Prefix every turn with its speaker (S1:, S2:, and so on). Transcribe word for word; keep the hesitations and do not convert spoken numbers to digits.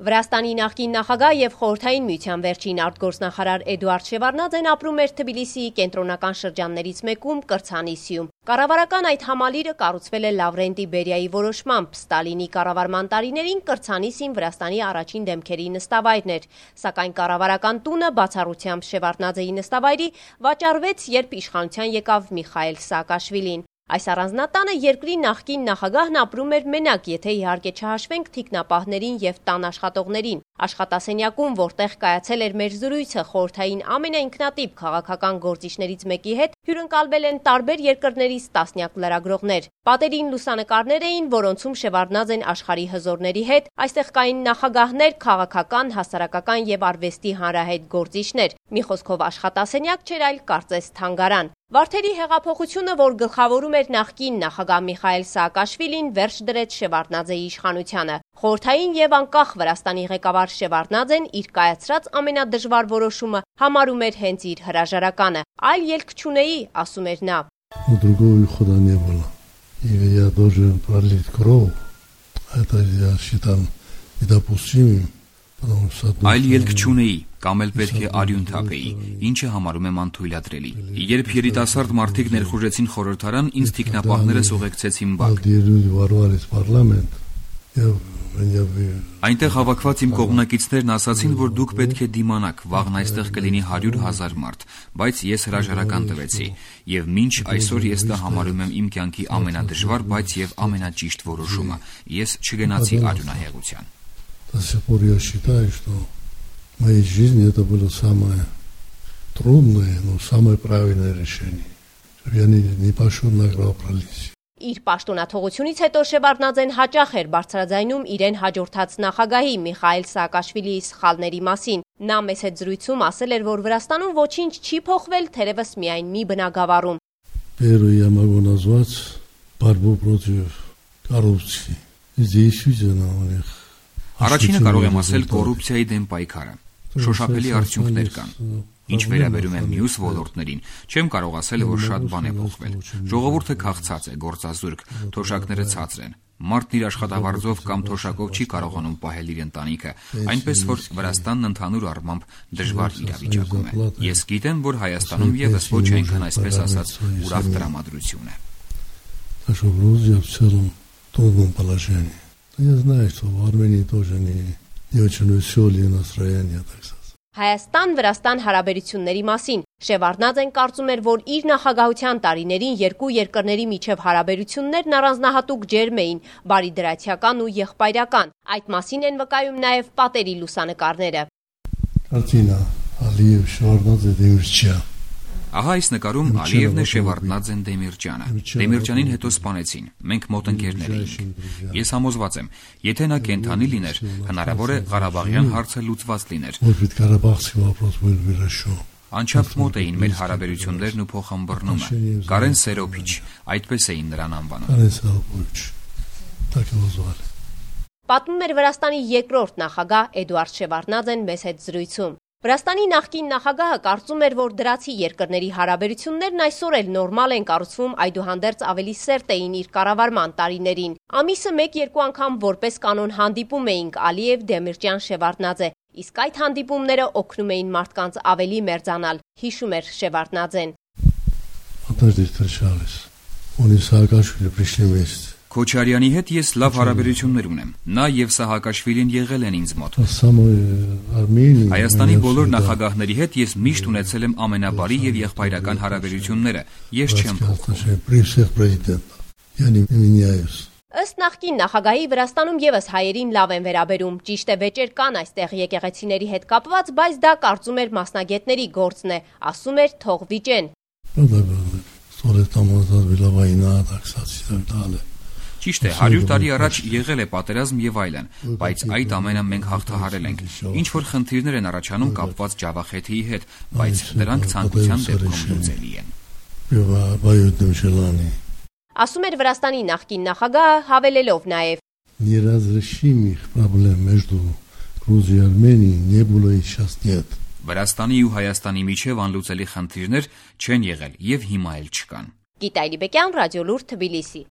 S1: Վրաստանի նախկին նախագահ և խորհրդային միության վերջին արտգործնախարար Էդուարդ Շևարդնաձեն ապրում էր Թբիլիսիի կենտրոնական շրջաններից մեկում Կրցանիսիում։ Կառավարական այդ համալիրը կառուցվել է Լավրենտի Բերիայի որոշմամբ։ Ստալինի կառավարման տարիներին Կրցանիսին Վրաստանի առաջին դեմքերի նստավայրն էր, սակայն կառավարական տունը բացառությամբ Շևարդնաձեի նստավայրի վաճառվեց, երբ իշխանության եկավ Միխայիլ Սաակաշվիլին։ Այս առանձնատանը երկրի նախկին նախագահն ապրում էր մենակ, եթե իհարկե չհաշվենք թիկնապահներին և տան աշխատողներին։ Աշխատասենյակում, որտեղ կայացել էր մեր զրույցը խորհրդային ամենաինքնատիպ քաղաքական գործիչներից մեկի հետ, հյուրընկալվել են տարբեր երկրներից տասնյակ լրագրողներ։ Պատերին լուսանկարներ էին, որոնցում Շևարդնաձեն աշխարհի հզորների հետ, այստեղ կային նախագահներ, քաղաքական, հասարակական և արվեստի հանրահայտ գործիչներ։ Մի խոսքով աշխատասենյակ չէր, այլ կարծես թանգարան։ Վարդերի հեղափոխությունը, որ գլխավորում էր նախկին նախագահ Միխայիլ Սաակաշվիլին, վերջ դրեց Շևարդնաձեի իշխանությանը։ Խորհրդային և անկախ Վրաստանի ղեկավար Շևարդնաձեն իր կայացրած ամենադժվար որոշումը համարում էր հենց իր հրաժարականը։ Այլ ելք չունեի, ասում էր նա։
S2: Другого хода не было. И я должен пролить кровь. Это я считал недопустимым.
S3: Այլ ելք չունեի, կամ էլ պետք է արյուն թափեի, ինչը համարում եմ անթույլատրելի։ Երբ երիտասարդ մարդիկ ներխուժեցին խորհրդարան, ինձ թիկնապահներս ուղեկցեցին բակ։ Այնտեղ հավաքված իմ կողմնակիցներն ասացին, որ դուք պետք է դիմանաք, վաղն այստեղ կլինի հարյուր հազար մարդ, բայց ես հրաժարական տվեցի, եւ մինչ այսօր ես դա համարում եմ իմ կյանքի ամենադժվար, բայց եւ ամենաճիշտ որոշումը։ Ես չգնացի արյունահեղության։
S2: До сих пор я считаю, что в моей жизни это было самое трудное, но самое правильное решение. Я не, не пошел на кровопролитие.
S1: Իր պաշտոնաթողությունից հետո Շևարդնաձեն հաճախ էր բարձրաձայնում իրեն հաջորդած նախագահի Միխայիլ Սաակաշվիլիի սխալների մասին։ Նա մեծ հետ զրույցում ասել էր, որ Վրաստանում ոչինչ չի փոխվել, թերևս միայն մի բնագավառում։
S2: Первый я могу назвать борьбу против коррупции. Здесь действительно у них
S3: Առաջինը կարող եմ ասել կոռուպցիայի դեմ պայքարը։ Շոշափելի արդյունքներ կան։ Ինչ վերաբերում է մյուս ոլորտներին, չեմ կարող ասել, որ շատ բան է փոխվել։ Ժողովուրդը քաղցած է, գործազուրկ, թոշակները ցածր են։ Մարդն իր աշխատավարձով կամ թոշակով չի կարողանում պահել իր ընտանիքը, այնպես որ Վրաստանն ընդհանուր առմամբ դժվար իրավիճակում է։ Ես գիտեմ, որ Հայաստանում եւս ոչ այնքան այսպես ասած ուրախ տրամադրություն է։
S2: Я знаю, что в Армении тоже не, не очень веселые настроения, так сказать.
S1: Հայաստան-Վրաստան հարաբերությունների մասին Շևարդնաձեն կարծում էր, որ իր նախագահության տարիներին երկու երկրների միջև հարաբերություններն առանձնահատուկ ջերմ էին, բարիդրացիական ու եղբայրական։ Այդ մասին են վկայում նաև պատերի լուսանկարները։
S2: Կարտինա Ալիև Շևարդնաձեն Դեմիրճյան։
S3: Ահա այս նկարում Ալիևն է Շևարդնաձեն Դեմիրճյանը։ Դեմիրճյանին հետո սպանեցին։ Մենք մոտ ընկերներ էինք։ Ես համոզված եմ, եթե նա կենդանի լիներ, հնարավոր է Ղարաբաղյան հարցը լուծված լիներ։ Անչափ մոտ էին մեր հարաբերություններն ու փոխհմբռնումը։ Կարեն Սերոփիչ, այդպես էին նրան անվանում։
S1: Պատմում էր Վրաստանի երկրորդ նախագահ Էդուարդ Շևարդնաձեն մեծ հետ զրույցում։ Վրաստանի նախկին նախագահը կարծում էր, որ դրացի երկրների հարաբերություններն այսօր էլ նորմալ են կառուցվում, այդուհանդերձ ավելի սերտ էին իր կառավարման տարիներին։ Ամիսը մեկ-երկու անգամ որպես կանոն հանդիպում էինք Ալիև, Դեմիրճյան, Շևարդնաձե, իսկ այդ հանդիպումները օգնում էին մարդկանց ավելի մերձանալ, հիշում էր Շևարդնաձեն։
S3: Քոչարյանի հետ ես լավ հարաբերություններ ունեմ։ Նա եւ Սահակաշվիլին եղել են ինձ մոտ։ Հայաստանի բոլոր նախագահների հետ ես միշտ ունեցել եմ ամենաբարի եւ եղբայրական հարաբերությունները։ Ես չեմ փոխվում։
S1: Ըստ նախկին նախագահի Վրաստանում եւս հայերին լավ են վերաբերում։ Ճիշտ է, վեճեր կան այստեղ եկեղեցիների հետ կապված, բայց դա կարծում էր մասնագետների գործն է, ասում էր թող վիճեն։
S3: Ճիշտ է, հարյուր տարի առաջ եղել է պատերազմ եւ այլն, բայց այդ ամենը մենք հաղթահարել ենք։ Ինչ որ խնդիրներ են առաջանում կապված Ջավախեթիի հետ, բայց դրանք ցանկության դեպքում լուծելի են։
S1: Ասում էր Վրաստանի նախկին նախագահը, հավելելով նաեւ.
S2: Неразрешимых проблем между Грузией и Арменией не было и сейчас нет.
S3: Վրաստանի ու Հայաստանի միջև անլուծելի խնդիրներ չեն եղել եւ հիմա էլ չկան։
S1: Գիտալի Բեկյան, Ռադիոլուր, Թբիլիսի։